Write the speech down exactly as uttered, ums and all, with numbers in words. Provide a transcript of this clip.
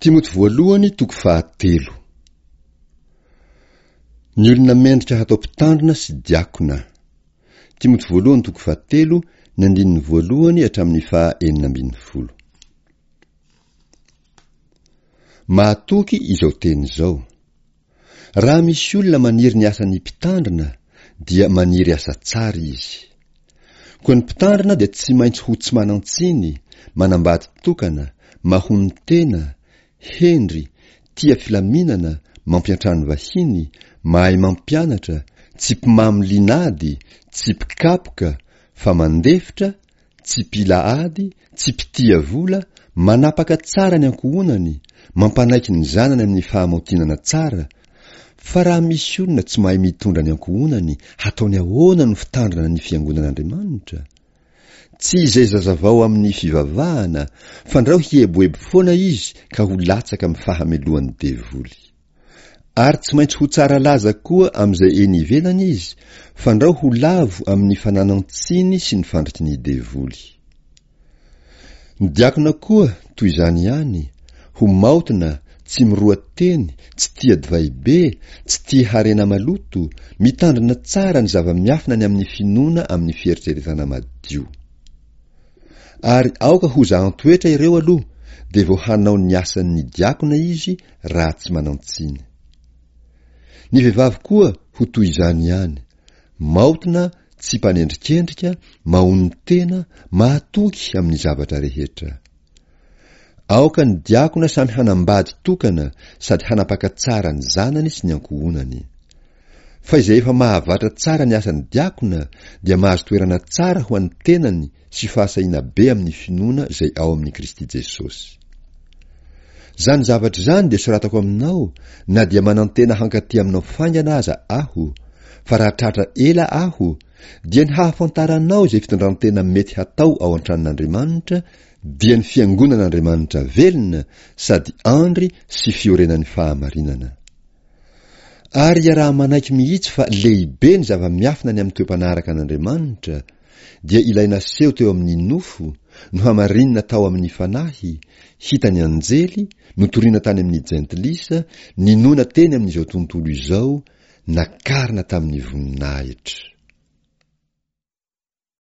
Timoty voalohany toko fahatelo. Ny olona mendrika hatao mpitandrina sy diakona. Timoty voalohany toko fahatelo, ny andininy voalohany hatramin'ny faha enina ambin'ny folo. Mahatoky izao teny izao. Raha misy olona maniry ny asan'ny mpitandrina dia maniry asa tsara izy. Koa ny mpitandrina dia tsy maintsy ho tsy manan-tsiny, manambady tokana, mahonon-tena, hendry, tia filaminana, mampiantrano vahiny, mahay mampianatra, tsy mpimamo linady, tsy mpikapoka, fa mandefitra, tsy mpila ady, tsy mpitia vola, manapaka tsara ny ankohonany, mampanaiky ny zanany amin'ny fahamaotinana tsara, fa raha misy olona tsy mahay mitondra ny ankohonany, hataony ahoana no fitandrina ny fiangonan'Andriamanitra? Tsy izay zazavao amin'ny fivavahana, fandrao hieboebo foana izy ka ho latsaka amin'ny fahamelohan'ny devoly. Ary tsy maintsy ho tsara laza koa amin'izay eny ivelany izy, fandrao ho lavo amin'ny fananan-tsiny sy ny fandriky ny devoly. Ny diakona koa toy izany ihany, ho maotina, tsy miroa teny, tsy tia divay be, tsy tia harena maloto, mitandrina tsara ny zava-miafina ny amin'ny finoana amin'ny fieritreretana madio. Ary aoka ho zahan-toetra ireo aloha, dia vao hanao ny asan'ny diakona izy raha tsy manan-tsiny. Ny vehivavy koa ho toy izany ihany, maotina, tsy mpanendrikendrika, mahonon-tena, mahatoky amin'ny zavatra rehetra. Aoka ny diakona samy hanambady tokana sady hanapaka tsara ny zanany sy ny ankohonany. Fa izay efa mahavatra tsara ny asan'ny diakona dia mahazo toerana tsara ho an'ny tenany sy fahasahiana be amin'ny finoana izay ao amin'i Kristy Jesosy. Izany zavatra izany dia soratako aminao na dia manantena hankaty aminao faingana aza aho, fa raha tratra ela aho, dia ny hahafantaranao izay fitondrantena mety hatao ao an-tranon'Andriamanitra dia ny fiangonan'Andriamanitra velona sady andry sy fiorenan'ny fahamarinana. Ary iaraha-manaiky mihitsy fa lehibe ny zava-miafina ny amin'ny toe-panaraka an'Andriamanitra, dia ilay naseho teo amin'ny nofo, nohamarinina tao amin'ny fanahy, hitan'ny anjely, notorina tany amin'ny jentilisa, ninoana teny amin'izao tontolo izao, nakarina tamin'ny voninahitra.